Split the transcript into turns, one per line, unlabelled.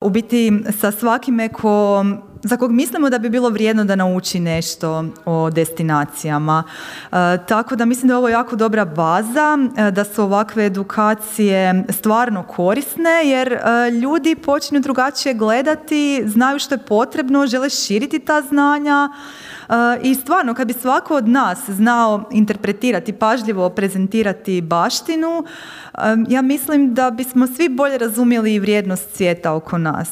u biti sa svakime za kog mislimo da bi bilo vrijedno da nauči nešto o destinacijama. Tako da mislim da je ovo jako dobra baza, da su ovakve edukacije stvarno korisne jer ljudi počinju drugačije gledati, znaju što je potrebno, žele širiti ta znanja i stvarno kad bi svako od nas znao interpretirati, pažljivo prezentirati baštinu, ja mislim da bismo svi bolje razumjeli vrijednost svijeta oko nas.